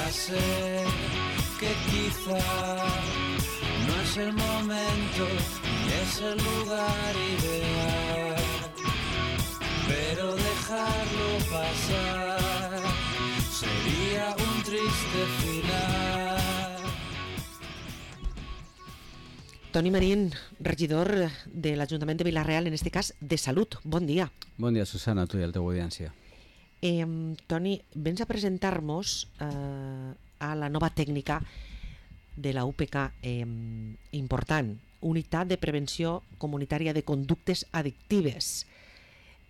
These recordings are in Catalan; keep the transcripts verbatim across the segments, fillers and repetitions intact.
Ya sé que quizá no es el momento ni es el lugar ideal, pero dejarlo pasar sería un triste final. Toni Marín, regidor de l'Ajuntament de Vila-real, en este cas de Salut. Bon dia. Bon dia, Susana, a tu i a la teva audiència. Eh, Toni, vens a presentar-nos eh, a la nova tècnica de la U P C eh, important, Unitat de Prevenció Comunitària de Conductes Addictives.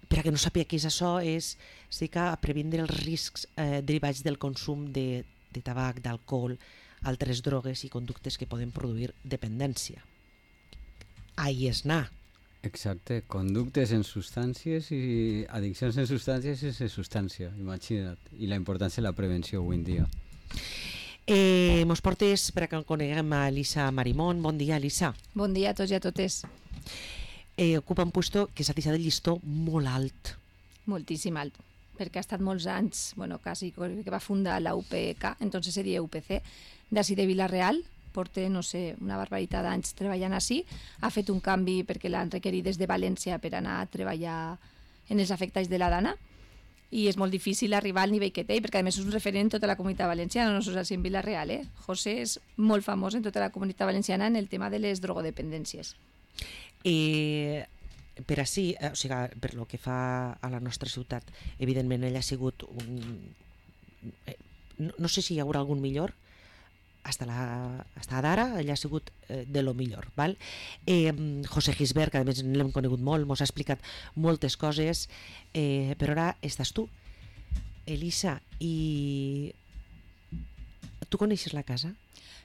Per a que no sàpiga què és això, és sí que a previndre els riscs eh, derivats del consum de, de tabac, d'alcohol, altres drogues i conductes que poden produir dependència. Ahí és anar. Exacte, conductes en substàncies i addiccions en substàncies i en substància, imagina't. I la importància de la prevenció avui en dia. Eh, mos portes per a que coneguem a Elisa Marimón. Bon dia, Elisa. Bon dia a tots i a totes. Eh, ocupa un puesto que s'ha deixat el llistó molt alt. Moltíssim alt, perquè ha estat molts anys, bueno, quasi que va fundar la U P C, entonces seria U P C, d'ací de Vila-real, porta, no sé, una barbaritat d'anys treballant així, ha fet un canvi perquè l'han requerit des de València per anar a treballar en els afectats de la dana, i és molt difícil arribar al nivell que té, perquè a més és un referent en tota la comunitat valenciana, no només en Vila-real, eh? José és molt famós en tota la comunitat valenciana en el tema de les drogodependències. Eh, per així, eh, o sigui, per lo que fa a la nostra ciutat, evidentment ell ha sigut un... Eh, no, no sé si hi haurà algun millor, hasta, la, hasta d'ara ell ha sigut eh, de lo millor, val? Eh, José Gisbert, que a més l'hem conegut molt, mos ha explicat moltes coses, eh, però ara estàs tu, Elisa, i tu coneixes la casa?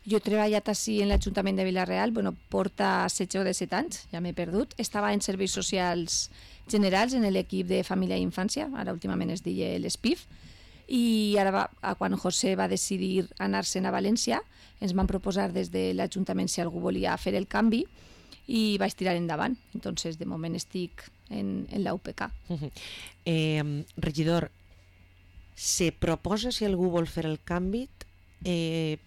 Jo he treballat així en l'Ajuntament de Vila-real, bueno, porta setze o disset anys, ja m'he perdut. Estava en Serveis Socials Generals, en l'equip de Família i Infància, ara últimament es deia l'S P I F, i ara va, quan José va decidir anar-se'n a València, ens van proposar des de l'Ajuntament si algú volia fer el canvi i vaig tirar endavant. Entonces, de moment estic en, en la U P C. Uh-huh. eh, regidor, se proposa si algú vol fer el canvi, eh,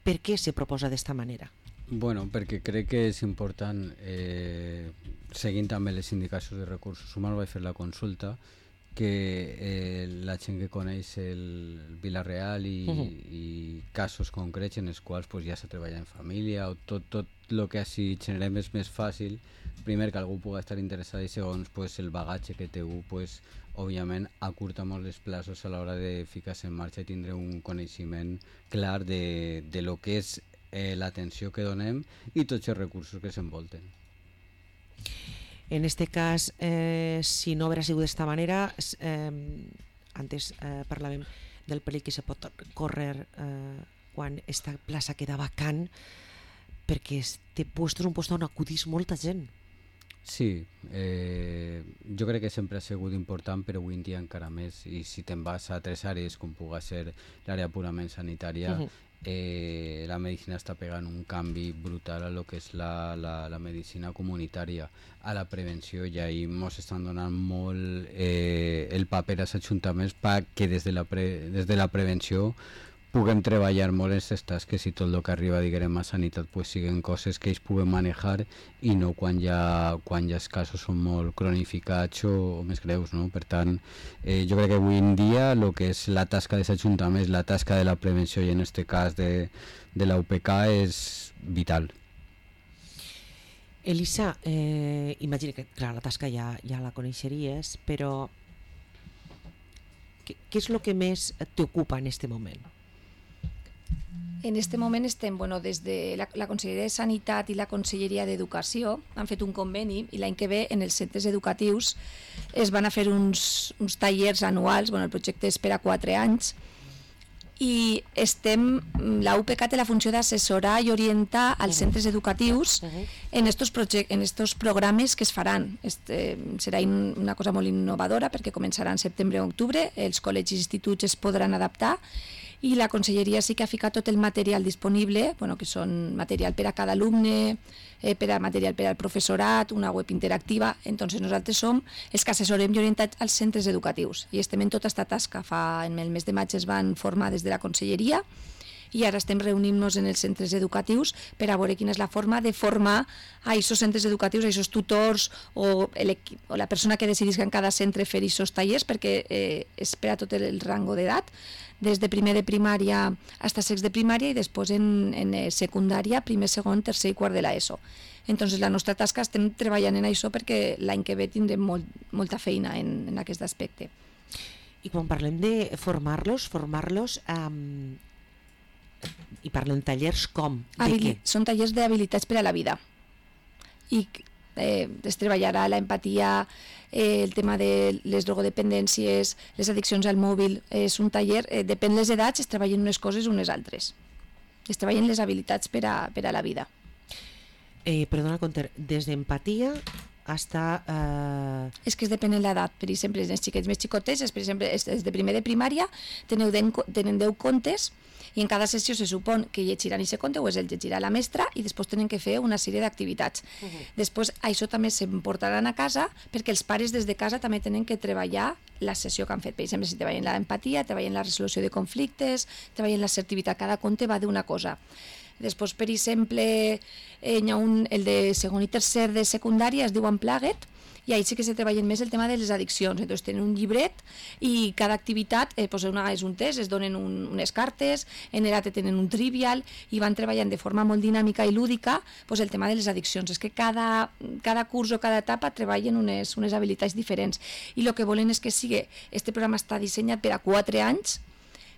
per què se proposa d'esta manera? Bueno, perquè crec que és important, eh, seguint també les indicacions de recursos humans, vaig fer la consulta, que eh, la gent que coneix el Vila-real i, uh-huh. i casos concrets en els quals pues, ja s'ha treballat en família o tot, tot el que així generem és més fàcil, primer que algú pugui estar interessat i segons pues, el bagatge que té algú, pues, òbviament acurta molt els plaços a l'hora de ficar-se en marxa i tindre un coneixement clar de, de lo que és eh, l'atenció que donem i tots els recursos que s'envolten. En este cas, eh, si no haguera sigut d'esta manera, eh, antes eh, parlàvem del perill que se pot córrer eh, quan esta plaça queda vacant, perquè este puesto és un puesto on acudís molta gent. Sí, eh, jo crec que sempre ha sigut important, però avui en dia encara més, i si te'n vas a altres àrees com pugui ser l'àrea purament sanitària, uh-huh. eh, la medicina està pegant un canvi brutal a lo que és la, la, la medicina comunitària, a la prevenció, i ahir ens estan donant molt eh, el paper als ajuntaments perquè des de la, pre, des de la prevenció puguem treballar molt en aquestes tasques i tot el que arriba, diguem, a sanitat pues, siguin coses que ells puguen manejar i no quan ja, quan ja els casos són molt cronificats o, o més greus, no? Per tant, eh, jo crec que avui en dia el que és la tasca dels ajuntaments, la tasca de la prevenció i en aquest cas de, de la U P C és vital. Elisa, eh, imagina que clar, la tasca ja, ja la coneixeries, però què, què és el que més t'ocupa en aquest moment? En aquest moment estem, bueno, des de la, la Conselleria de Sanitat i la Conselleria d'Educació han fet un conveni i l'any que ve en els centres educatius es van a fer uns, uns tallers anuals, bueno, el projecte és per a quatre anys i estem, la U P C té la funció d'assessorar i orientar als centres educatius en estos, project, en estos programes que es faran. Este, serà una cosa molt innovadora perquè començarà en setembre o octubre, els col·legis i instituts es podran adaptar i la conselleria sí que ha ficat tot el material disponible, bueno, que són material per a cada alumne, eh, per a material per al professorat, una web interactiva. Entonces nosaltres som els que assessorem i orientats als centres educatius i estem en tota aquesta tasca. Fa, en el mes de maig es van formar des de la conselleria i ara estem reunint-nos en els centres educatius per a veure quina és la forma de formar a aquests centres educatius, a aquests tutors o, o la persona que decidisca en cada centre fer aquests tallers, perquè eh, és per a tot el rango d'edat, des de primer de primària fins a sext de primària i després en, en secundària, primer, segon, tercer i quart de l'ESO. Entonces la nostra tasca estem treballant en això perquè l'any que ve tindrem molt, molta feina en, en aquest aspecte. I quan parlem de formar-los, formar-los... Um... i parlem tallers com? De Habili- què? Són tallers d'habilitats per a la vida i eh, es treballarà l'empatia, eh, el tema de les drogodependències, les addiccions al mòbil. És un taller, eh, depèn de les edats, es treballen unes coses unes altres, es treballen les habilitats per a, per a la vida. Eh, perdona, Conter, des d'empatia hasta... Eh... És que es depèn de l'edat. Per exemple, els xiquets més xicotets, per exemple, des de primer de primària teniu den, tenen deu contes i en cada sessió se supon que llegiran aquest conte o es el llegirà la mestra i després tenen que fer una sèrie d'activitats. Uh -huh. Després això també s'emportaran a casa perquè els pares des de casa també tenen que treballar la sessió que han fet. Per exemple, si treballen l'empatia, treballen la resolució de conflictes, treballen l'assertivitat, cada conte va d'una cosa. Després, per exemple, eh, hi ha un, el de segon i tercer de secundària, es diu Unplugged, i ahí sí que se treballen més el tema de les addiccions. Entonces tenen un llibret i cada activitat eh, pues una, és un test, es donen un, unes cartes, en l'E R A T tenen un trivial i van treballant de forma molt dinàmica i lúdica pues el tema de les addiccions. És que cada, cada curs o cada etapa treballen unes, unes habilitats diferents i el que volen és que sigui, este programa està dissenyat per a quatre anys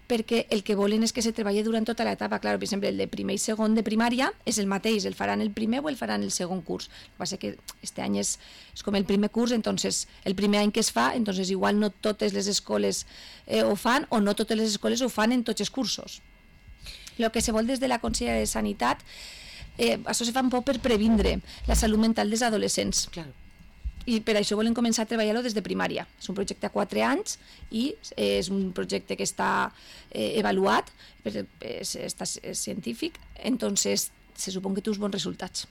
perquè el que volen és que se treballi durant tota l'etapa. Claro, per exemple, el de primer i segon de primària és el mateix, el faran el primer o el faran el segon curs. El que passa és que este any és, és com el primer curs, entonces el primer any que es fa, entonces igual no totes les escoles eh, ho fan o no totes les escoles ho fan en tots els cursos. El que se vol des de la Conselleria de Sanitat, eh, això se fa un poc per previndre la salut mental dels adolescents. Claro. I per això volen començar a treballar-lo des de primària. És un projecte a quatre anys i és un projecte que està eh, avaluat, és, està, és científic, entonces se supon que té uns bons resultats.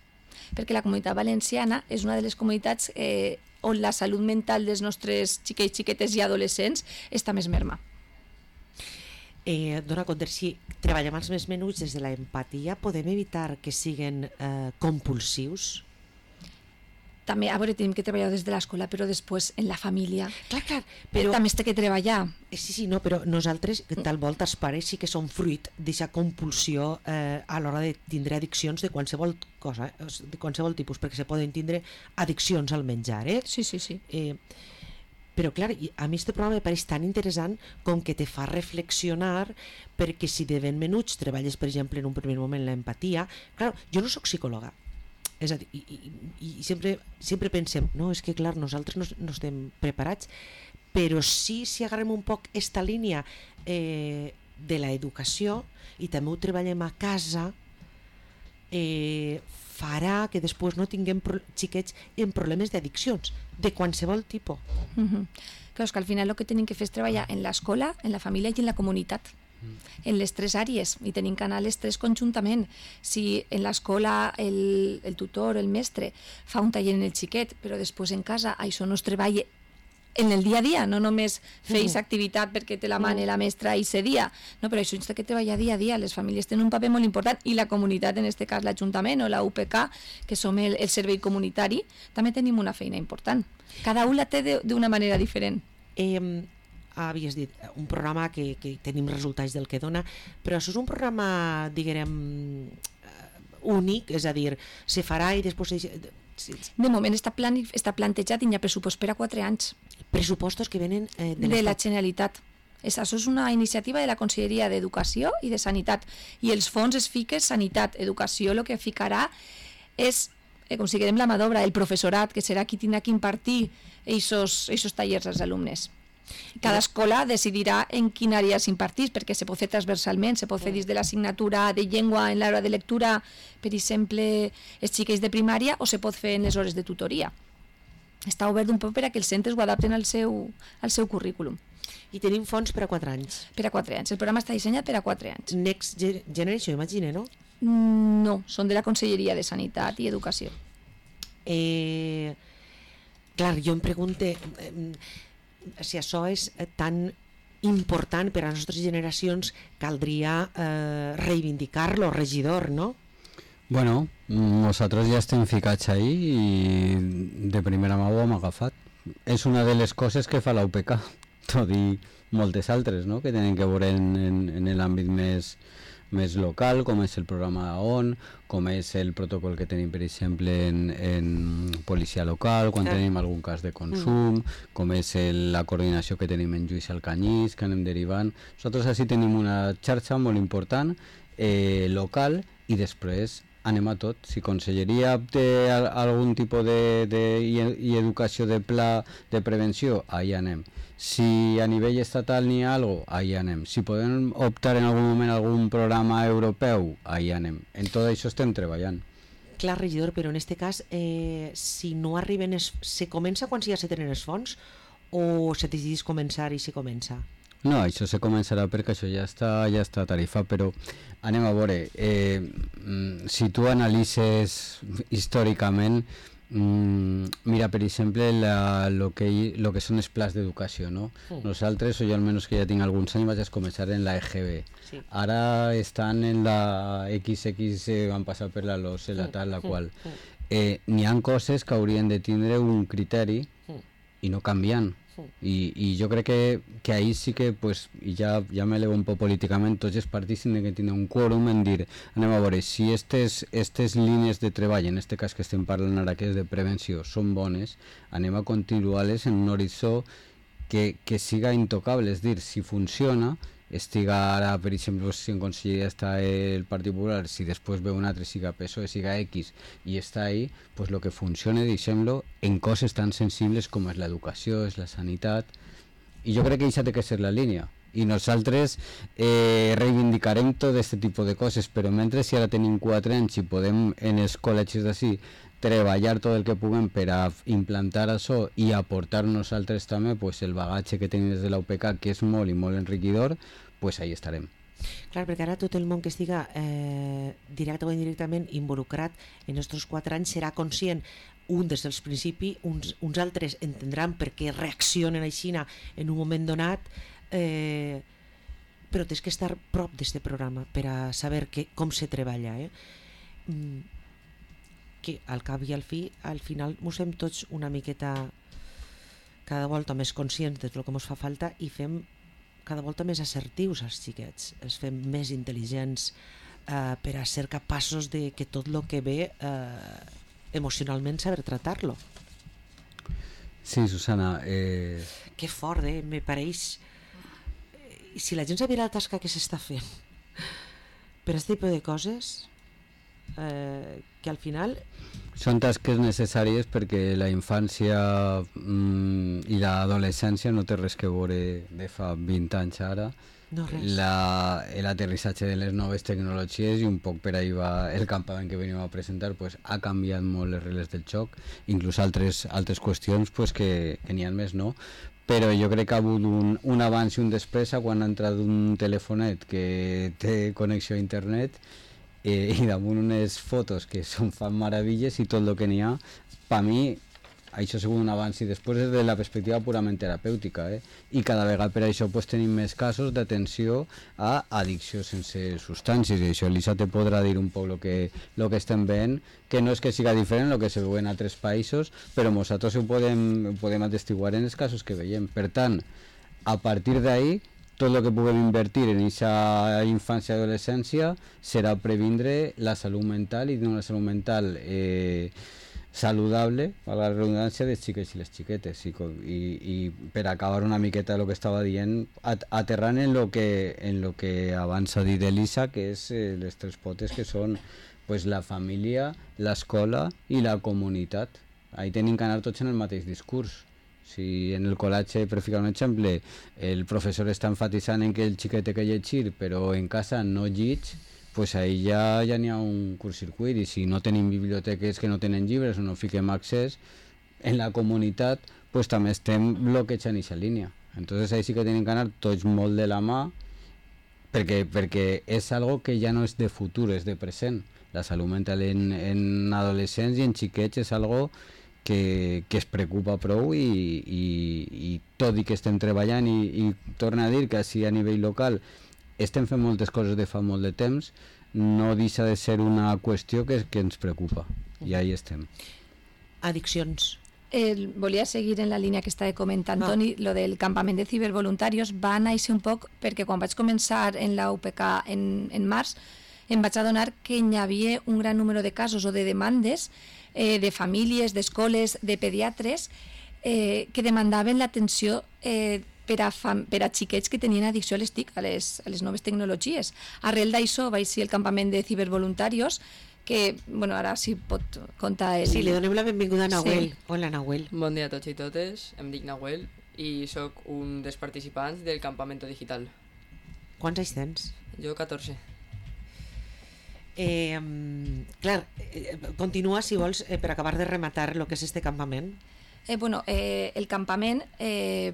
Perquè la Comunitat Valenciana és una de les comunitats eh, on la salut mental dels nostres xiquets, xiquetes i adolescents està més merma. Eh, dona compte, si treballem els més menuts des de l'empatia, podem evitar que siguin eh, compulsius? També, a veure, tenim que treballar des de l'escola, però després en la família. Clar, clar, però... També es té que treballar. Sí, sí, no, però nosaltres, tal volta, els pares sí que són fruit d'aquesta compulsió eh, a l'hora de tindre addiccions de qualsevol cosa, de qualsevol tipus, perquè se poden tindre addiccions al menjar, eh? Sí, sí, sí. Eh, però, clar, a mi este programa me pareix tan interessant com que te fa reflexionar, perquè si de ben menuts treballes, per exemple, en un primer moment l'empatia... Clar, jo no sóc psicòloga, és a dir, i, i, i sempre, sempre pensem, no, és que clar, nosaltres no, no estem preparats, però sí, si agarrem un poc esta línia eh, de l'educació i també ho treballem a casa, eh, farà que després no tinguem pro xiquets amb problemes d'addiccions, de qualsevol tipus. Mm-hmm. Clar, és que al final el que tenim que fer és treballar en l'escola, en la família i en la comunitat. En les tres àrees i tenim que anar les tres conjuntament. Si en l'escola el, el tutor, el mestre fa un taller en el xiquet, però després en casa això no es treballa en el dia a dia, no només feis mm. activitat perquè te la mane la mestra i se dia, no, però això és que treballa dia a dia. Les famílies tenen un paper molt important i la comunitat, en aquest cas l'Ajuntament o la U P K, que som el, el servei comunitari, també tenim una feina important. Cada un la té d'una manera diferent. Eh, havies dit, un programa que, que tenim resultats del que dona, però això és un programa, diguem, únic, és a dir, se farà i després... De moment està, plan, està plantejat i hi ha pressupost per a quatre anys. Pressupostos que venen eh, de, de la Generalitat. És, això és una iniciativa de la Conselleria d'Educació i de Sanitat, i els fons es fiquen Sanitat, Educació, el que ficarà és, eh, considerem la mà d'obra, el professorat, que serà qui tindrà que impartir aquests tallers als alumnes. Cada escola decidirà en quina àrea s'impartís, perquè se pot fer transversalment, se pot fer dins de l'assignatura de llengua en l'hora de lectura, per exemple, els xiquets de primària, o se pot fer en les hores de tutoria. Està obert un poc per a que els centres ho adapten al seu, al seu currículum. I tenim fons per a quatre anys. Per a quatre anys. El programa està dissenyat per a quatre anys. Next Generation, imagine, no? No, són de la Conselleria de Sanitat i Educació. Eh, clar, jo em pregunte eh, si això és tan important per a les nostres generacions, caldria eh, reivindicar-lo, regidor, no? Bueno, nosaltres ja estem ficats ahí i de primera mà ho hem agafat. És una de les coses que fa la U P K, tot i moltes altres, no?, que tenen que veure en, en, en l'àmbit més, més local, com és el programa O N, com és el protocol que tenim, per exemple, en, en policia local, quan ah. tenim algun cas de consum, mm. com és el, la coordinació que tenim en Lluís Alcanyís, que anem derivant. Nosaltres així tenim una xarxa molt important, eh, local, i després anem a tot. Si Conselleria té algun tipus de, de, i, i educació de pla de prevenció, ahí anem. Si a nivell estatal n'hi ha alguna cosa, ahí anem. Si podem optar en algun moment a algun programa europeu, ahí anem. En tot això estem treballant. Clar, regidor, però en aquest cas, eh, si no arriben, es, se comença quan ja se tenen els fons o se decidís començar i se comença? No, això se començarà perquè això ja està, ja està tarifat, però anem a veure, eh, si tu analitzes històricament, mm, mira, per exemple, la, lo, que, lo que són els plans d'educació, no? Mm. Nosaltres, o jo almenys que ja tinc alguns anys, vaig començar en la E G B. Sí. Ara estan en la X X, eh, van passar per la LOS, la tal, la qual. Eh, n'hi ha coses que haurien de tindre un criteri i no canviant. I, i jo crec que, que ahir sí que, pues, i ja, ja m'elevo un poc políticament, tots els partits tenen que tenir un quòrum en dir, anem a veure, si estes, estes línies de treball, en aquest cas que estem parlant ara, que és de prevenció, són bones, anem a continuar-les en un horitzó que, que siga intocable, és dir, si funciona, estiga ara, per exemple, si en Conselleria està el Partit Popular, si després ve un altre, siga P S O E, siga X, i està ahí, pues lo que funcione, deixem-lo, en coses tan sensibles com és l'educació, és la sanitat, i jo crec que això té que ser la línia. I nosaltres eh, reivindicarem tot aquest tipus de coses, però mentre si ara tenim quatre anys i podem en els col·legis d'ací treballar tot el que puguem per a implantar això i aportar nosaltres també pues, el bagatge que tenim des de la U P K, que és molt i molt enriquidor, pues ahí estarem. Clar, perquè ara tot el món que estiga eh, directe o indirectament involucrat en aquests quatre anys serà conscient, un des dels principis, uns, uns altres entendran per què reaccionen així en un moment donat, eh, però tens que estar prop d'aquest programa per a saber que, com se treballa. Eh? Mm, que al cap i al fi, al final mos fem tots una miqueta cada volta més conscients de tot el que ens fa falta i fem cada volta més assertius als xiquets, els fem més intel·ligents eh, per a ser capaços de que tot el que ve eh, emocionalment saber tratar-lo. Sí, Susana. Eh... Que fort, eh? Me pareix... Si la gent sabia la tasca que s'està fent per a aquest tipus de coses, eh, que al final... Són tasques necessàries perquè la infància mm, i l'adolescència no té res que veure de fa vint anys ara. No, res. La, l'aterrissatge de les noves tecnologies i un poc per ahí va el campament que venim a presentar, pues, ha canviat molt les regles del joc, inclús altres, altres qüestions pues, que, que n'hi ha més, no? Però jo crec que ha hagut un, un abans i un després quan ha entrat un telefonet que té connexió a internet eh, i damunt unes fotos que són fan meravilles i tot el que n'hi ha, per mi això ha sigut un abans i després des de la perspectiva purament terapèutica, eh? I cada vegada per això pues, tenim més casos d'atenció a addicció sense substàncies, i això l'Isa te podrà dir un poc el que, lo que estem veient, que no és que siga diferent el que se veu en altres països, però nosaltres ho podem, ho podem atestiguar en els casos que veiem. Per tant, a partir d'ahí, tot el que puguem invertir en aquesta infància i adolescència serà previndre la salut mental i una salut mental eh, saludable, a la redundància, dels xiquets i les xiquetes, i, i, i per acabar una miqueta el que estava dient, at, aterrant en lo que, en lo que abans ha dit Elisa, que és eh, les tres potes que són pues, la família, l'escola i la comunitat. Ahí tenim que anar tots en el mateix discurs. Si en el col·latge, per ficar un exemple, el professor està enfatitzant en que el xiquet té que llegir, però en casa no llig, pues ahí ja, ja n'hi ha un curt-circuit, i si no tenim biblioteques que no tenen llibres o no fiquem accés, en la comunitat pues també estem bloquejant aquesta línia. Entonces ahí sí que tienen que anar tots molt de la mà, perquè, perquè és algo que ja no és de futur, és de present. La salut mental en, en adolescents i en xiquets és algo que, que es preocupa prou i, i, i tot i que estem treballant i, i torna a dir que així a nivell local estem fent moltes coses de fa molt de temps, no deixa de ser una qüestió que, que ens preocupa i ahí estem. Addiccions. Eh, volia seguir en la línia que estava comentant Ah. Toni, lo del campament de cibervoluntarios va néixer un poc perquè quan vaig començar en la U P K en, en març em vaig adonar que hi havia un gran número de casos o de demandes eh, de famílies, d'escoles, de pediatres eh, que demandaven l'atenció eh, per, a fam per a xiquets que tenien addicció a les TIC, a les, a les noves tecnologies. Arrel d'això vaig ser el campament de cibervoluntarios que, bueno, ara sí pot contar el... Sí, li donem la benvinguda a Nahuel. Sí. Hola, Nahuel. Bon dia a tots i totes, em dic Nahuel i sóc un dels participants del Campamento Digital. Quants anys tens? Jo catorze. Eh, clar, eh, continua, si vols, eh, per acabar de rematar el que és este campament. Eh, bueno, eh, el campament eh,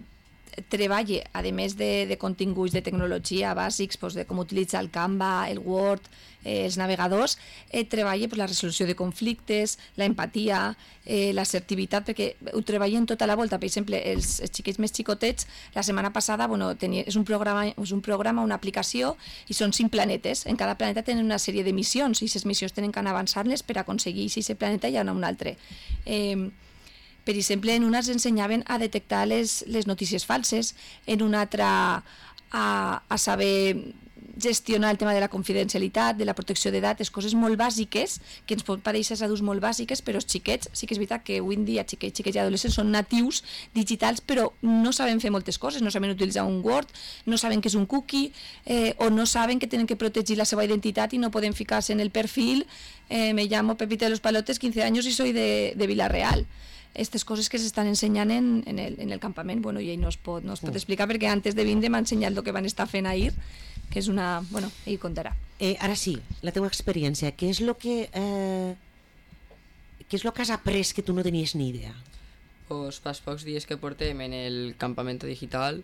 treballa, a més de, de continguts de tecnologia bàsics, pues, de com utilitzar el Canva, el Word, eh, els navegadors, eh, treballa pues, la resolució de conflictes, la empatia, eh, l'assertivitat, perquè ho treballen tota la volta. Per exemple, els, els xiquets més xicotets, la setmana passada, bueno, tenia, és, un programa, és un programa, una aplicació, i són cinc planetes. En cada planeta tenen una sèrie de missions, i aquestes missions tenen que anar avançant-les per aconseguir si aquest planeta hi ha un altre. Eh, Per exemple, en una ens ensenyaven a detectar les, les notícies falses, en una altra a, a saber gestionar el tema de la confidencialitat, de la protecció de dades, coses molt bàsiques, que ens pot parèixer als adults molt bàsiques, però els xiquets, sí que és veritat que avui en dia xiquets, xiquets i adolescents són natius digitals, però no saben fer moltes coses, no saben utilitzar un Word, no saben què és un cookie, eh, o no saben que tenen que protegir la seva identitat i no poden ficar-se en el perfil, eh, me llamo Pepita de los Palotes, quince años y soy de, de Villarreal. Aquestes coses que s'estan ensenyant en, en, el, en el campament, bueno, i ell no es pot, no es pot explicar perquè antes de vindre m'ha ensenyat el que van estar fent ahir, que és una... bueno, ell contarà. Eh, ara sí, la teva experiència, què és el que, eh, què és lo que has après que tu no tenies ni idea? Pues pels pocs dies que portem en el Campamento Digital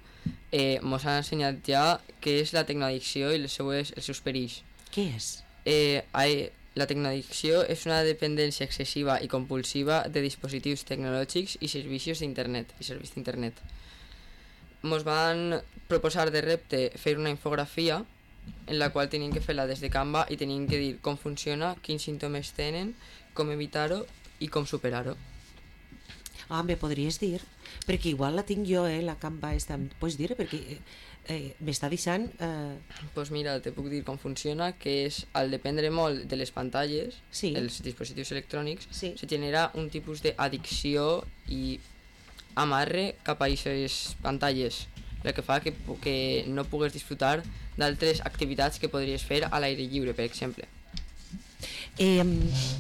eh, mos han ensenyat ja què és la tecnoaddicció i les seues, els seus perills. Què és? Eh, hay, la tecnoaddicció és una dependència excessiva i compulsiva de dispositius tecnològics i servicis d'internet i serveis d'internet. Mos van proposar de repte fer una infografia en la qual teníem que fer-la des de Canva i teníem que dir com funciona, quins símptomes tenen, com evitar-ho i com superar-ho. Ah, me podries dir? Perquè igual la tinc jo, eh, la Canva esta. Pots dir? Perquè eh, eh, m'està deixant... Eh... Pues mira, te puc dir com funciona, que és, al dependre molt de les pantalles, Sí. els dispositius electrònics, Sí. se genera un tipus d'addicció i amarre cap a aquestes pantalles, el que fa que, pu- que no pugues disfrutar d'altres activitats que podries fer a l'aire lliure, per exemple. Eh,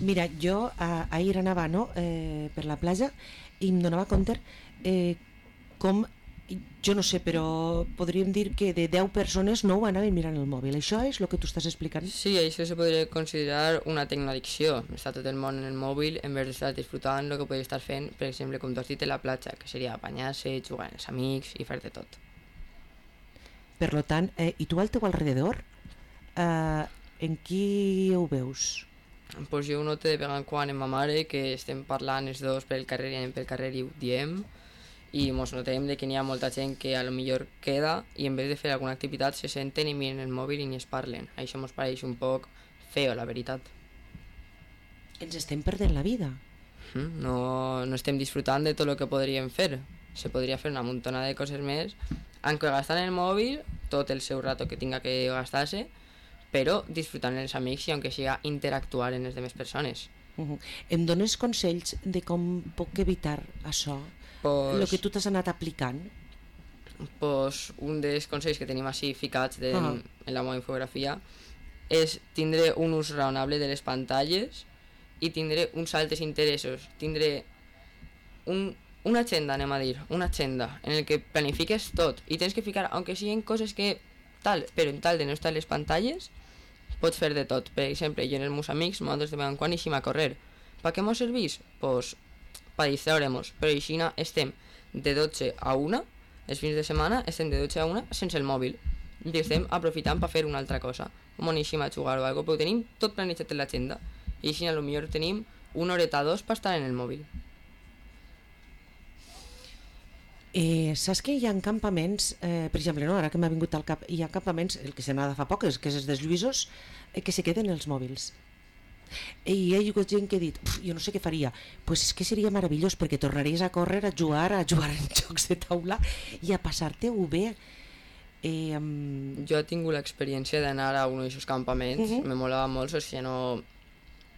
mira, jo a, ahir anava no, eh, per la platja i em donava compte eh, com, jo no sé, però podríem dir que de deu persones nou anaven mirant el mòbil. Això és el que tu estàs explicant? Sí, això se podria considerar una tecnoaddicció. Està tot el món en el mòbil en vez d'estar disfrutant el que podria estar fent, per exemple, com tu has dit, a la platja, que seria banyar-se, jugar amb els amics i fer de tot. Per lo tant, eh, i tu al teu alrededor, eh, en qui ho veus? Pues jo ho noto de vegades en quan amb ma mare, que estem parlant els dos pel carrer i anem pel carrer i ho diem, i mos notem de que n'hi ha molta gent que a lo millor queda i en vez de fer alguna activitat se senten i miren el mòbil i ni es parlen. Això mos pareix un poc feo, la veritat. Ens estem perdent la vida. Mm, No, no estem disfrutant de tot el que podríem fer. Se podria fer una muntona de coses més, aunque gastant el mòbil tot el seu rato que tinga que gastar-se, però disfrutant els amics i aunque siga interactuar amb les demés persones. Uh -huh. Em dones consells de com puc evitar això? El Pues, que tu t'has anat aplicant? pues un dels consells que tenim així ficats de, Ah. en la meva infografia és tindre un ús raonable de les pantalles i tindre uns altres interessos. Tindre un, una agenda, anem a dir, una agenda en el que planifiques tot i tens que ficar, aunque siguin coses que tal, però en tal de no estar les pantalles pots fer de tot. Per exemple, jo en els meus amics nosaltres de vegades en quan eixim a correr. Per què mos serveix? Pues per distraure-nos, però així estem de dotze a una els fins de setmana estem de dotze a una sense el mòbil i estem aprofitant per fer una altra cosa, com anem a jugar o alguna cosa, però ho tenim tot planejat en l'agenda i així potser tenim una horeta o dos per estar en el mòbil. Eh, saps que hi ha campaments, eh, per exemple, no? Ara que m'ha vingut al cap, hi ha campaments, el que se n'ha de fa poc, és que és dels Lluïsos, eh, que se queden els mòbils. I hi ha hagut gent que ha dit, jo no sé què faria, pues és que seria meravellós perquè tornaries a córrer, a jugar, a jugar en jocs de taula i a passar-te-ho bé. Eh, um... Jo he tingut l'experiència d'anar a un d'aquests campaments, uh -huh. me molava molt, o sigui, no,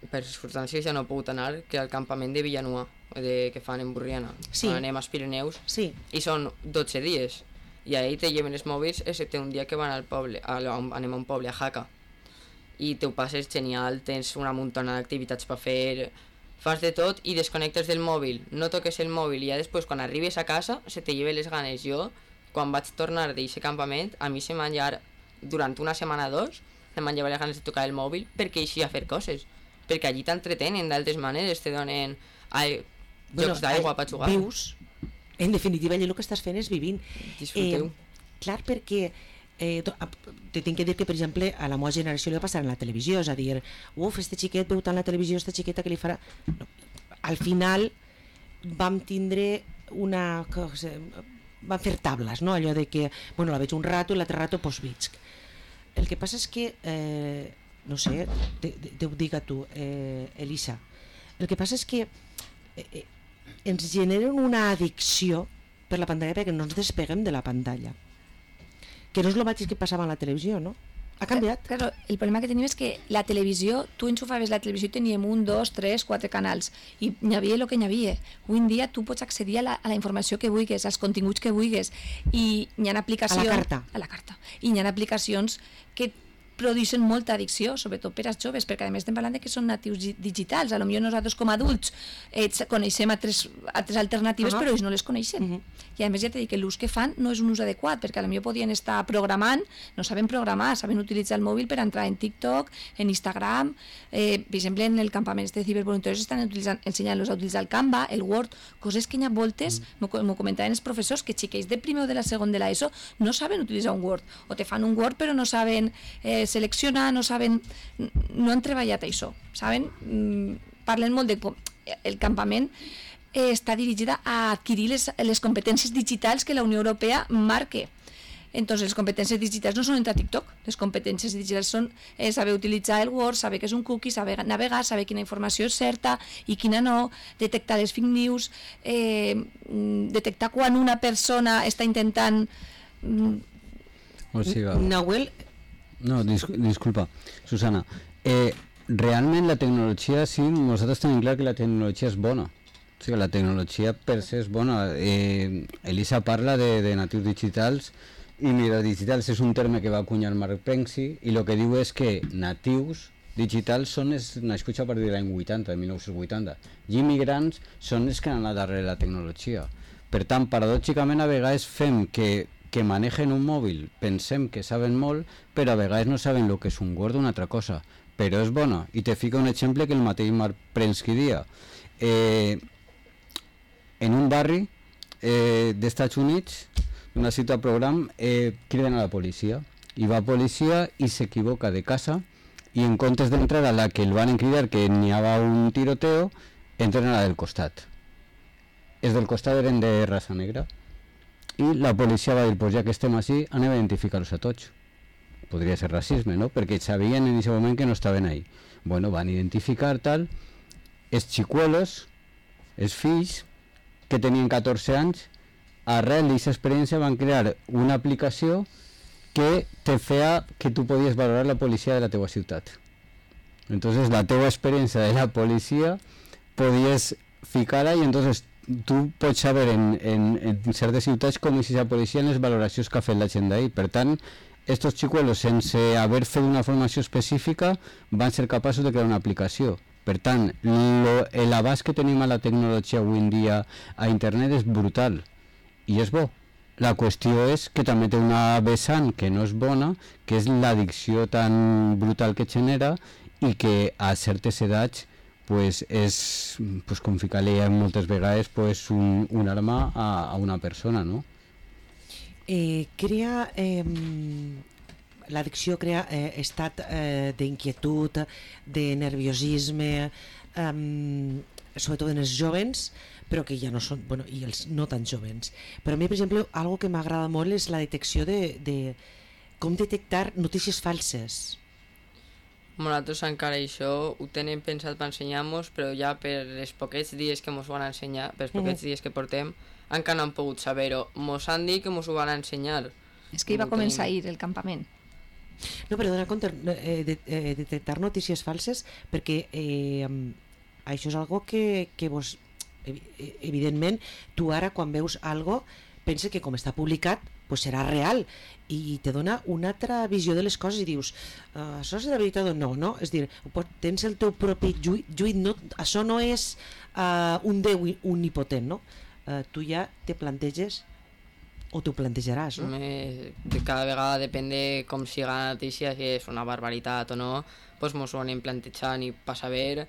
per circumstàncies ja no he pogut anar, que al campament de Villanueva, de, que fan en Burriana, sí. anem als Pirineus, sí. i són dotze dies, i ahir te lleven els mòbils, excepte un dia que van al poble, a, anem a un poble, a Jaca, i te ho passes genial, tens una muntona d'activitats per fer, fas de tot i desconnectes del mòbil, no toques el mòbil i ja després quan arribes a casa se te lleven les ganes. Jo, quan vaig tornar d'aquest campament, a mi se m'han llevat, durant una setmana o dos, se m'han llevat les ganes de tocar el mòbil perquè així a fer coses, perquè allí t'entretenen d'altres maneres, te donen ai, bueno, jocs d'aigua per jugar. Vius, en definitiva allò el que estàs fent és vivint. Disfruteu. Eh, clar, perquè Eh, te tinc que dir que, per exemple, a la meva generació li va passar en la televisió, és a dir, uf, este xiquet veu tant la televisió, esta xiqueta que li farà... No. Al final vam tindre una... Cosa, vam fer tables, no? Allò de que, bueno, la veig un rato i l'altre rato pues visc. El que passa és que, eh, no sé, te, te, te ho diga tu, eh, Elisa, el que passa és que eh, ens generen una addicció per la pantalla perquè no ens despeguem de la pantalla. Que no és el mateix que passava en la televisió, no? Ha canviat. Claro, el problema que tenim és que la televisió, tu enxufaves la televisió i teníem un, dos, tres, quatre canals i n'hi havia el que n'hi havia. Avui en dia tu pots accedir a la, a la informació que vulguis, als continguts que vulguis i hi ha aplicacions... A la carta. A la carta. I hi ha aplicacions que produeixen molta addicció, sobretot per als joves, perquè a més estem parlant de que són natius digitals. A lo millor nosaltres com a adults eh, coneixem altres, altres alternatives, uh -huh. però ells no les coneixen. Uh -huh. I a més ja t'he dit que l'ús que fan no és un ús adequat, perquè a lo millor podien estar programant, no saben programar, saben utilitzar el mòbil per entrar en TikTok, en Instagram, eh, per exemple en el campament de cibervoluntaris estan ensenyant-los a utilitzar el Canva, el Word, coses que hi ha voltes, m'ho uh -huh. comentaven els professors, que xiquets de primer o de la segon de l'ESO no saben utilitzar un Word, o te fan un Word però no saben eh, seleccionar, no saben, no han treballat això, saben? Mm, parlen molt de com el campament eh, està dirigida a adquirir les, les competències digitals que la Unió Europea marque. Entonces, les competències digitals no són entrar a TikTok, les competències digitals són eh, saber utilitzar el Word, saber què és un cookie, saber navegar, saber quina informació és certa i quina no, detectar les fake news, eh, detectar quan una persona està intentant... Mm, o sigui, Nahuel... No, dis disculpa, Susana. Eh, realment la tecnologia, sí, nosaltres tenim clar que la tecnologia és bona. O sigui, la tecnologia per se és bona. Eh, Elisa parla de, de natius digitals i mira, digitals és un terme que va acunyar Mark Penksi i el que diu és que natius digitals són els nascuts a partir de l'any vuitanta, de mil nou-cents vuitanta, i immigrants són els que han anat darrere la tecnologia. Per tant, paradòxicament, a vegades fem que que manegen un mòbil, pensem que saben molt, però a vegades no saben el que és un Word o una altra cosa, però és bona. I te fica un exemple que el mateix Mark Penski dia. Eh, en un barri eh, d'Estats Units, una ciutat program, eh, criden a la policia, i va a policia i s'equivoca de casa, i en comptes d'entrar a la que el van cridar, que n'hi havia un tiroteo, entren a la del costat. Els del costat eren de raça negra, i la policia va dir, pues ja que estem així, anem a identificar-los a tots. Podria ser racisme, no? Perquè sabien en aquest moment que no estaven ahí. Bueno, van identificar tal, els xicuelos, els fills, que tenien catorze anys, arrel d'aquesta experiència van crear una aplicació que te feia que tu podies valorar la policia de la teua ciutat. Entonces la teua experiència de la policia podies ficar-la i entonces tu pots saber en, en, en certes ciutats com és la policia en les valoracions que ha fet la gent d'ahir. Per tant, estos xicuelos, sense haver fet una formació específica, van ser capaços de crear una aplicació. Per tant, l'abast que tenim a la tecnologia avui en dia a internet és brutal i és bo. La qüestió és que també té una vessant que no és bona, que és l'addicció tan brutal que genera i que a certes edats pues és pues, com ficar-li moltes vegades pues, un, un arma a, a una persona, no? Eh, crea... Eh, l'addicció crea eh, estat eh, d'inquietud, de nerviosisme, eh, sobretot en els jovens, però que ja no són, bueno, i els no tan jovens. Però a mi, per exemple, algo que m'agrada molt és la detecció de, de com detectar notícies falses. Nosaltres encara això ho tenem pensat per ensenyar-nos, però ja per els poquets dies que ens ho van ensenyar, per els poquets dies que portem, encara no hem pogut saber-ho. Ens han dit que ens ho van ensenyar. És que hi va començar ahir el campament. No, però donar compte, eh, de, eh, detectar notícies falses, perquè eh, això és algo que, que vos, evidentment, tu ara quan veus algo, pensa que com està publicat, pues serà real, i te dona una altra visió de les coses i dius, uh, això és de veritat o no, no? És dir, tens el teu propi lluit, lluit no, això no és uh, un déu omnipotent, no? Uh, tu ja te planteges o t'ho plantejaràs, no? Me, cada vegada depèn de com siga la notícia, si és una barbaritat o no, doncs mos ho anem plantejant i per saber.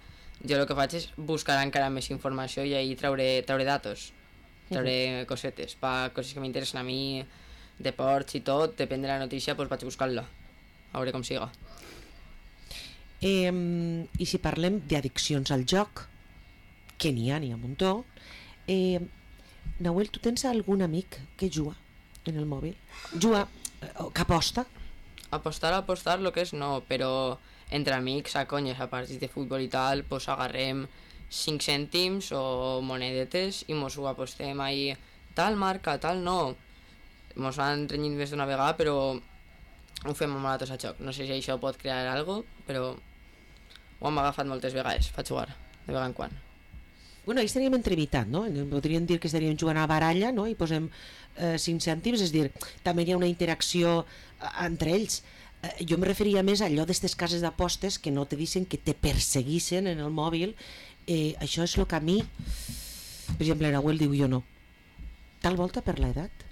Jo el que faig és buscar encara més informació i ahir trauré, trauré datos, trauré uh-huh. cosetes, per coses que m'interessen a mi, deports i tot, depèn de la notícia, doncs vaig a buscar-la, a veure com siga. Eh, I si parlem d'addiccions al joc, que n'hi ha, n'hi ha un muntó, eh, Nahuel, tu tens algun amic que juga en el mòbil? Juga, que aposta? Apostar, apostar, el que és no, però entre amics, a conyes, a partits de futbol i tal, pues agarrem cinc cèntims o monedetes i mos ho apostem ahí, tal marca, tal no. Mos han renyit més d'una vegada, però ho fem amb nosaltres a joc. No sé si això pot crear alguna cosa, però ho hem agafat moltes vegades, per jugar, de vegada en quan. Bueno, ahí estaríem entrevistat, no? Podríem dir que estaríem jugant a baralla, no? I posem eh, cinc cèntims, és dir, també hi ha una interacció eh, entre ells. Eh, jo em referia més a allò d'aquestes cases d'apostes que no te dicen que te perseguissin en el mòbil. Eh, això és el que a mi, per exemple, Nahuel diu jo no. Tal volta per l'edat?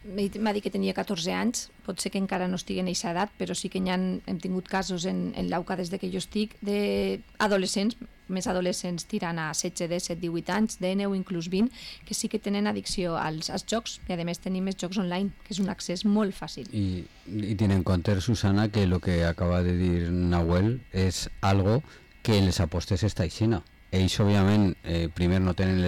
M'ha dit que tenia catorze anys, pot ser que encara no estigui en aquesta edat, però sí que ha, hem tingut casos en, en l'Auca des de que jo estic d'adolescents, més adolescents tirant a setze, disset, divuit anys, de nou, inclús vint, que sí que tenen addicció als, als jocs, i a més tenim més jocs online, que és un accés molt fàcil. I, i ten en compte, Susana, que el que acaba de dir Nahuel és algo que les apostes està aixina. Ells, òbviament, eh, primer no tenen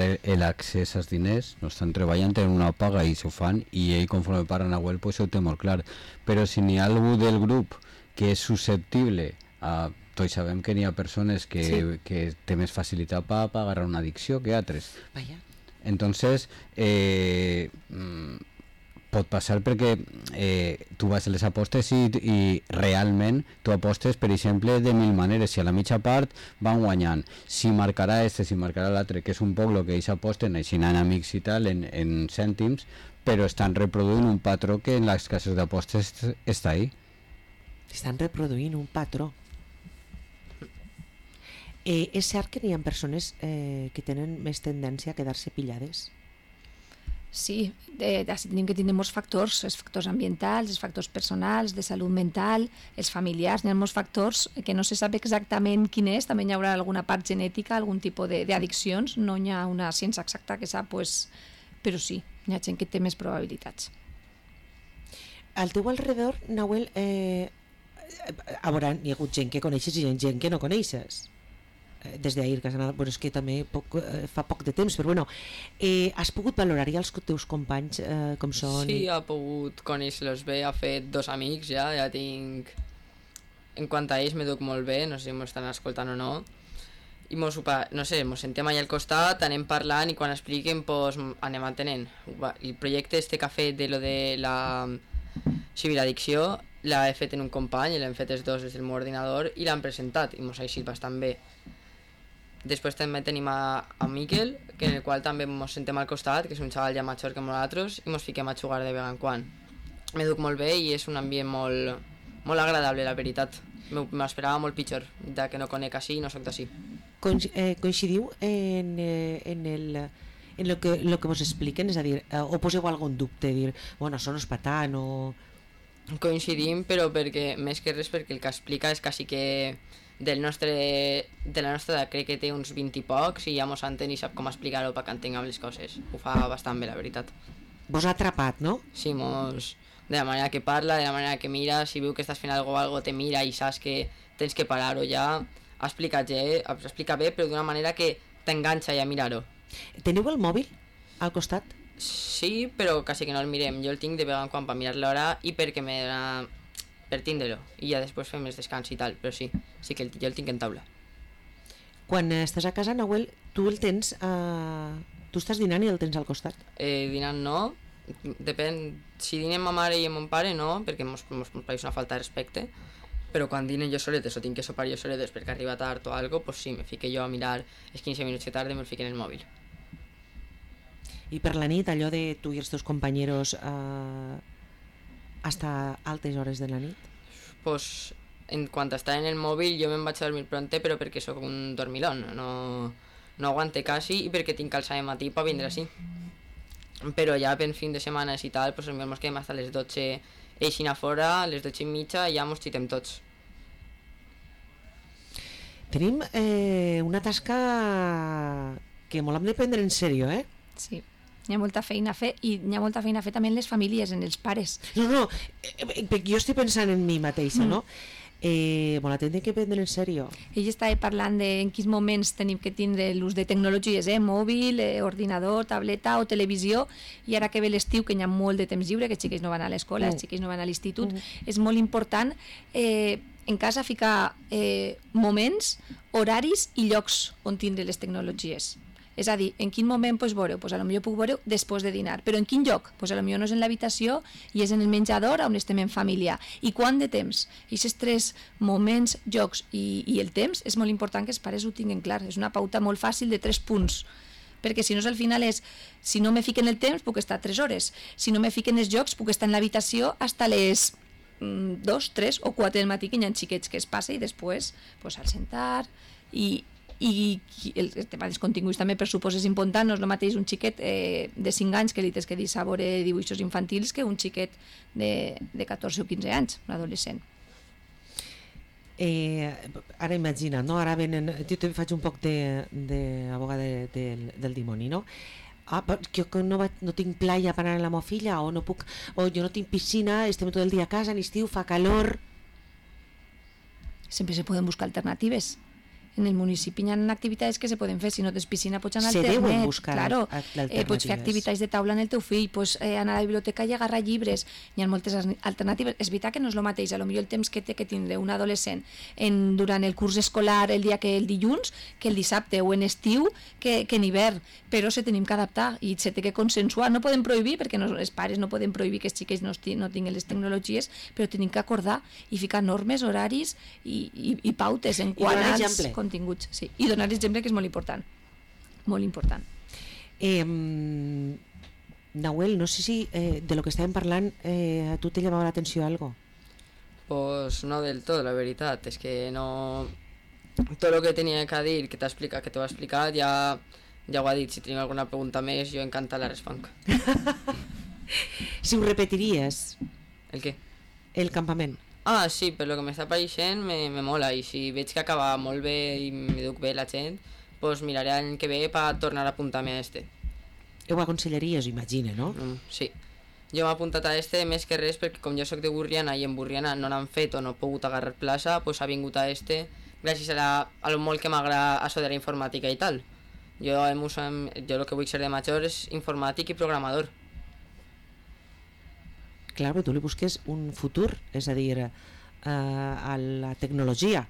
l'accés als diners, no estan treballant, tenen una paga i s'ho fan, i ell, conforme parla Nahuel, pues, ho té molt clar. Però si n'hi ha algú del grup que és susceptible a... Tots sabem que n'hi ha persones que, sí. que té més facilitat per pa agarrar una addicció que altres. Vaya. Entonces, eh, pot passar perquè eh, tu vas a les apostes i, i realment tu apostes, per exemple, de mil maneres. Si a la mitja part van guanyant, si marcarà este, si marcarà l'altre, que és un poc el que ells aposten, així en amics i tal, en, en cèntims, però estan reproduint un patró que en les cases d'apostes està ahí. Estan reproduint un patró. Eh, és cert que n'hi ha persones eh, que tenen més tendència a quedar-se pillades? Sí, de, de, tenim que tindre molts factors, els factors ambientals, els factors personals, de salut mental, els familiars, n'hi ha molts factors que no se sap exactament quin és, també hi haurà alguna part genètica, algun tipus d'addiccions, no hi ha una ciència exacta que sap, pues, però sí, hi ha gent que té més probabilitats. Al teu alrededor, Nahuel, eh, a veure, hi ha hagut gent que coneixes i gent que no coneixes. Des d'ahir, que has anat, bueno, és que també poc, eh, fa poc de temps, però bueno, eh, has pogut valorar ja els teus companys eh, com són? Sí, ha pogut conèixer-los bé, ha fet dos amics ja, ja tinc... En quant a ells me duc molt bé, no sé si m'ho estan escoltant o no, i mos, no sé, mos sentem allà al costat, anem parlant i quan expliquen pues, anem entenent. El projecte este que ha fet de lo de la ciberaddicció l'ha fet en un company, l'hem fet els dos des del meu ordinador i l'han presentat i mos ha eixit bastant bé. Després també tenim a, a Miquel, que en el qual també ens sentem al costat, que és un xaval ja major que nosaltres, i ens fiquem a jugar de vegada en quan. Me duc molt bé i és un ambient molt, molt agradable, la veritat. M'esperava molt pitjor, ja que no conec així i no soc d'ací. Coincidiu en, en, el, en lo que, lo que vos expliquen? És a dir, o poseu algun dubte, dir, bueno, això no és per tant, o... Coincidim, però perquè, més que res, perquè el que explica és quasi que... Del nostre, de la nostra edat crec que té uns vint i pocs i ja mos entén i sap com explicar-ho perquè entenguem les coses. Ho fa bastant bé, la veritat. Vos ha atrapat, no? Sí, mos... de la manera que parla, de la manera que mira, si veu que estàs fent algo, algo te mira i saps que tens que parar-ho ja, explica, explica bé, però d'una manera que t'enganxa ja a mirar-ho. Teniu el mòbil al costat? Sí, però quasi que no el mirem. Jo el tinc de vegades quan per mirar l'hora i perquè me dona... per tindre-lo. I ja després fem els descans i tal, però sí, sí que el, jo el tinc en taula. Quan estàs a casa, Nahuel, tu el tens... Uh... Tu estàs dinant i el tens al costat? Eh, dinant no, depèn, si dinem ma mare i mon pare no, perquè mos, mos, mos pareix una falta de respecte, però quan dinen jo soletes o tinc que sopar jo soletes perquè arriba tard o algo, pues sí, me fique jo a mirar els quinze minuts que tarde, me'l fique en el mòbil. I per la nit, allò de tu i els teus companyeros eh, hasta altes hores de la nit? Pues en quant està en el mòbil jo me'n vaig a dormir pronte, però perquè sóc un dormilón, no, no aguante quasi i perquè tinc que alçar de matí per vindre així. Però ja per fin de setmanes i tal, pues ens quedem hasta les dotze eixint a fora, a les dotze i mitja i ja mos xitem tots. Tenim eh, una tasca que molt hem de prendre en sèrio, eh? Sí, hi ha molta feina a fer i hi ha molta feina a fer també en les famílies, en els pares. No, no, eh, jo estic pensant en mi mateixa, Mm. no? Eh, bon, la tindrem que prendre en sèrio. Ell estava parlant de en quins moments tenim que tindre l'ús de tecnologies, eh? mòbil, eh, ordinador, tableta o televisió, i ara que ve l'estiu, que hi ha molt de temps lliure, que els xiquets no van a l'escola, Mm. els xiquets no van a l'institut, Mm. és molt important eh, en casa ficar eh, moments, horaris i llocs on tindre les tecnologies. És a dir, en quin moment pues, veureu? Pues, a lo millor puc veure després de dinar, però en quin lloc? Pues, a lo millor no és en l'habitació i és en el menjador on estem en família. I quant de temps? I aquests tres moments, llocs i, i el temps és molt important que els pares ho tinguin clar. És una pauta molt fàcil de tres punts, perquè si no al final és, si no me fiquen el temps puc estar tres hores, si no me fiquen els jocs puc estar en l'habitació fins a les mm, dos, tres o quatre del matí, que hi ha xiquets que es passa i després pues, al sentar i i el tema dels continguts també per supòs és important, no és el mateix un xiquet eh, de cinc anys que li tens que dir sabore dibuixos infantils que un xiquet de, de catorze o quinze anys, un adolescent. Eh, ara imagina, no? Ara venen, jo te faig un poc d'abogada de, de, de, del dimoni, no? Ah, jo no, va, no tinc playa per anar amb la meva filla, o no puc, o jo no tinc piscina, estem tot el dia a casa, en estiu, fa calor. Sempre se poden buscar alternatives. En el municipi hi ha activitats que se poden fer, si no tens piscina pots anar Se al ternet, deuen buscar claro, alternatives. eh, pots fer activitats de taula en el teu fill, pots eh, anar a la biblioteca i agarrar llibres, hi ha moltes alternatives. És veritat que no és el mateix, a lo millor el temps que té que tindre un adolescent en, durant el curs escolar el dia que el dilluns, que el dissabte o en estiu, que, que en hivern, però se tenim que adaptar i se té que consensuar. No podem prohibir, perquè no, els pares no poden prohibir que els xiquets no, no tinguin les tecnologies, però tenim que acordar i ficar normes, horaris i, i, i pautes en quant als exemple. continguts. Sí. I donar exemple, que és molt important. Molt important. Eh, Nahuel, no sé si eh, de lo que estàvem parlant eh, a tu te llamava l'atenció algo. Pues no del tot, la veritat, és que no... Tot el que tenia que dir, que t'ha explicat, que t'ho ha explicat, ja, ja ho ha dit. Si teniu alguna pregunta més, jo encantat la responc. Si ho repetiries, El què? el campament. Ah, sí, per lo que m'està apareixent me, me mola, i si veig que acaba molt bé i m'educ bé la gent, pues miraré l'any que ve per tornar a apuntar-me a este. Ho aconsellaries, imagina, no? Mm, sí. Jo m'he apuntat a este més que res perquè com jo sóc de Burriana i en Burriana no n'han fet o no he pogut agarrar plaça, pues ha vingut a este gràcies a, la, a lo molt que m'agrada això de la informàtica i tal. Jo, jo el que vull ser de major és informàtic i programador. Clar, però tu li busques un futur, és a dir, eh, a la tecnologia.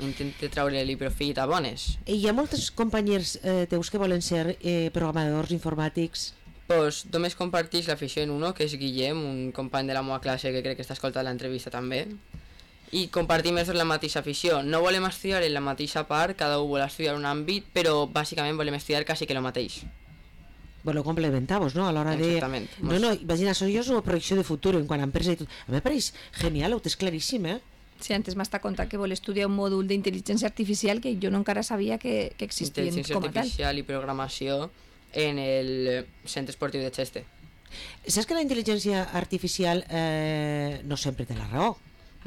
Intente treure-li profit a bones. I hi ha molts companys eh, teus que volen ser eh, programadors informàtics. Pues només comparteix l'afició en uno, que és Guillem, un company de la meva classe que crec que està escoltant l'entrevista també. I compartim la mateixa afició. No volem estudiar en la mateixa part, cada un vol estudiar un àmbit, però bàsicament volem estudiar quasi que el mateix. Bueno, complementamos, ¿no? A la hora Exactament. de... No, no, imagina, això jo és una projecció de futur en quant a empresa i tot. A mi me pareix genial, ho tens claríssim, eh? Sí, antes m'està contant que vol estudiar un mòdul d'intel·ligència artificial que jo no encara sabia que, que existien Intel·ligència com a tal. artificial i programació en el centre esportiu de Cheste. Saps que la intel·ligència artificial eh, no sempre té la raó?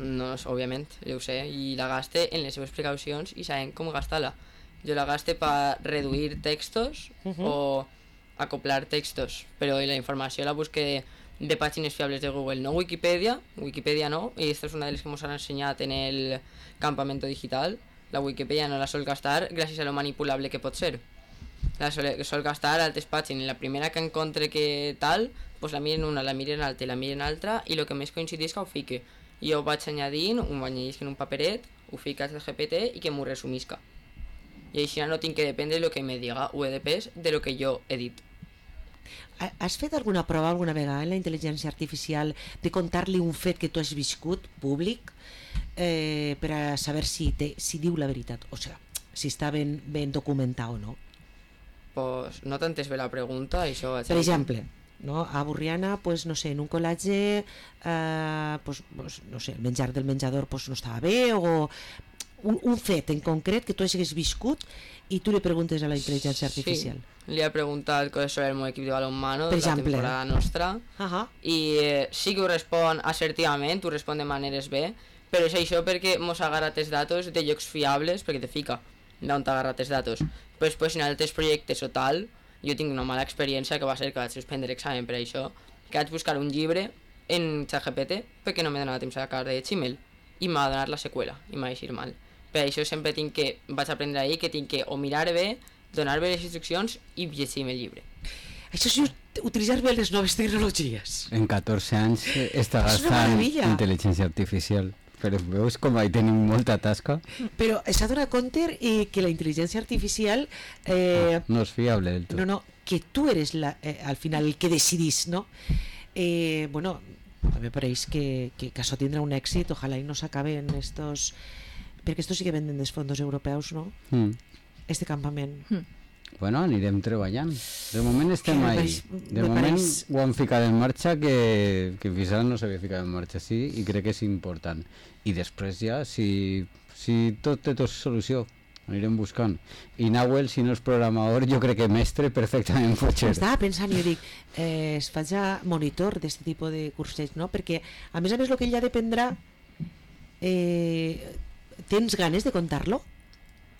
No, òbviament, jo ho sé, i la gaste en les seves precaucions i sabem com gastar-la. Jo la gaste per reduir textos Uh-huh. o acoplar textos, pero la informació la busque de pàgines fiables de Google, no Wikipedia, Wikipedia no, i esta és una de les que ens han ensenyat en el campamento digital. La Wikipedia no la sol gastar gràcies a lo manipulable que pot ser. La sol, sol gastar altres pàgines, la primera que encontre que tal, pues la miren una, la miren altra, la miren altra, i el que més coincideix que ho fique. Jo ho vaig añadint, ho vaig añadint en un paperet, ho fica al G P T i que m'ho resumisca. I així no tinc que dependre de lo que me diga, ho he depès de lo que jo he dit. Has fet alguna prova alguna vegada en la intel·ligència artificial de contar-li un fet que tu has viscut públic eh, per a saber si, te, si diu la veritat, o sigui, si està ben, ben documentat o no? Pues no t'entès bé la pregunta, això... Per exemple, no? A Borriana, pues, no sé, en un col·legi, eh, pues, pues, no sé, el menjar del menjador pues, no estava bé, o un, un fet en concret que tu hagis viscut i tu li preguntes a la intel·ligència artificial. Sí, li he preguntat coses sobre el meu equip de balonmano per de la exemple. temporada nostra, uh-huh. i eh, sí que ho respon assertivament, ho respon de maneres bé, però és això perquè mos ha agarrat els datos de llocs fiables, perquè te fica d'on t'ha agarrat els datos. Però després en altres projectes o tal, jo tinc una mala experiència que va ser que vaig suspendre examen per això, que vaig buscar un llibre en ChatGPT perquè no m'he donat temps a sacar de Gmail i m'ha donat la seqüela i m'ha deixat mal. Per això sempre tinc que, vaig aprendre ahir que tinc que o mirar bé, donar bé les instruccions i llegir-me el llibre. Això sí, utilitzar bé les noves tecnologies. En catorze anys està gastant intel·ligència artificial. Però veus com ahí tenim molta tasca. Però s'ha donat compte eh, que la intel·ligència artificial... Eh, no, no és fiable del tot. No, no, que tu eres la, eh, al final el que decidís, no? Eh, bueno, a mi me pareix que, que, que això tindrà un èxit, ojalà i no s'acaben estos... Perquè esto sí que venden dels fondos europeus, no? Mm. Este campament. Mm. Bueno, anirem treballant. De moment estem me ahí. pareix, De moment pareix... ho han ficat en marxa que, que fins ara no s'havia ficat en marxa, sí, i crec que és important. I després ja, si, si tot té tot solució, anirem buscant. I Nahuel, si no és programador, jo crec que mestre perfectament pot ser. Estava pensant, jo dic, eh, es faig ja monitor d'aquest tipus de cursets, no? Perquè, a més a més, el que ell ja dependrà, eh, tens ganes de contar-lo?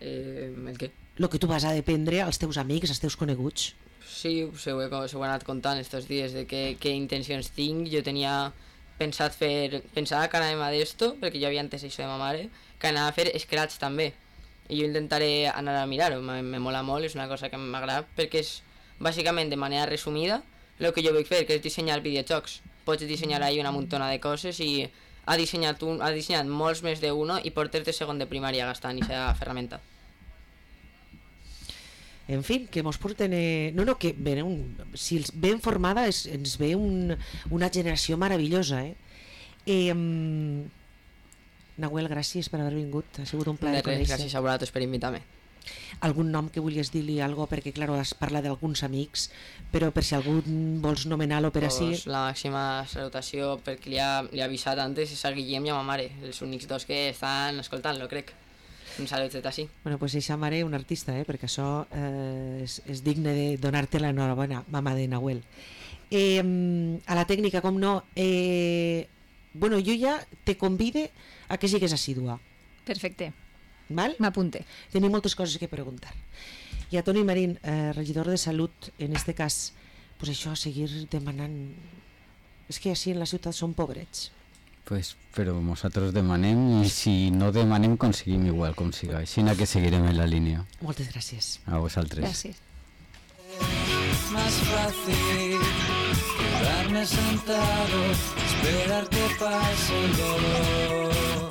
Eh, el què? El que tu vas a dependre als teus amics, als teus coneguts. Sí, se ho he, se ho he anat contant estos dies de què, què intencions tinc. Jo tenia pensat fer, pensava que anàvem a d'esto, perquè jo havia entès això de ma mare, que anava a fer Scratch també. I jo intentaré anar a mirar-ho, me, me mola molt, és una cosa que m'agrada, perquè és bàsicament de manera resumida el que jo vull fer, que és dissenyar videojocs. Pots dissenyar ahí una muntona de coses i ha dissenyat, un, ha dissenyat molts més d'uno i portes de segon de primària gastant aquesta ferramenta. En fi, que mos porten... Eh... No, no, que ben, un... si els ben formada es, ens ve un, una generació meravellosa, eh? eh um... Nahuel, gràcies per haver vingut, ha sigut un plaer conèixer. Gràcies a vosaltres per invitar-me. Algun nom que vulguis dir-li algo, perquè, clar, has parlat d'alguns amics, però per si algú vols nomenar-lo per ací... Pues la màxima salutació, perquè li ha, li ha avisat antes, és a Guillem i a ma mare, els únics dos que estan escoltant-lo, crec. Un salut des d'ací. Bueno, pues eixa mare un artista, eh? Perquè això eh, és, és digne de donar-te l'enhorabona, mama de Nahuel. Eh, a la tècnica, com no, eh, bueno, jo ja te convide a que sigues assidua. Perfecte. Val? M'apunte. Tenim moltes coses que preguntar. I a Toni Marín, eh, regidor de Salut, en este cas, pues això, seguir demanant... És que així en la ciutat són pobrets. Pues, però nosaltres demanem i si no demanem aconseguim igual com siga. Així que seguirem en la línia. Moltes gràcies. A vosaltres. Gràcies. Más fácil quedarme sentado, esperar que pase el dolor.